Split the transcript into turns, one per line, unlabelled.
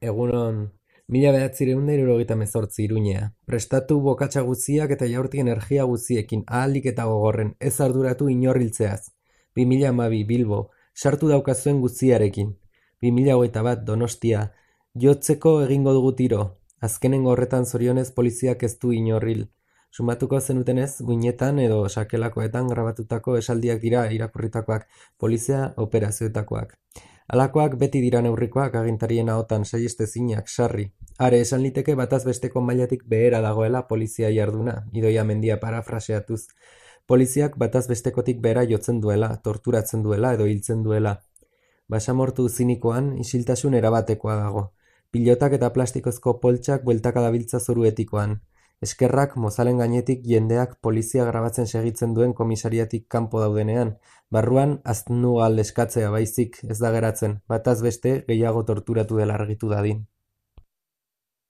Egunon, 1978 Iruñea. Prestatu bokatsa guztiak eta jaurti energia guztiekin, ahalik eta gogorren, ez arduratu inor hiltzeaz. 2012 Bilbo, sartu daukazuen guztiarekin. 2021 Donostia, jotzeko egingo dugu tiro. Azkenengo horretan zorionez poliziak ez du inor hil. Sumatuko zenutenez, guinetan edo sakelakoetan grabatutako esaldiak dira irakurritakoak, polizia operazioetakoak. Halakoak beti dira neurrikoak agintarien ahotan saihestezinak, sarri. Are esan liteke bataz besteko mailatik behera dagoela polizia jarduna, Idoia Mendia parafraseatuz. Poliziak bataz bestekotik behera jotzen duela, torturatzen duela edo hiltzen duela. Basamortu zinikoan isiltasun erabatekoa dago. Pilotak eta plastikozko poltsak bueltaka dabiltza zoru etikoan. Eskerrak mozalen gainetik jendeak polizia grabatzen segitzen duen komisariatik kanpo daudenean, barruan aznugal eskatzea baizik ez da geratzen, bataz beste gehiago torturatu dela argitu dadin.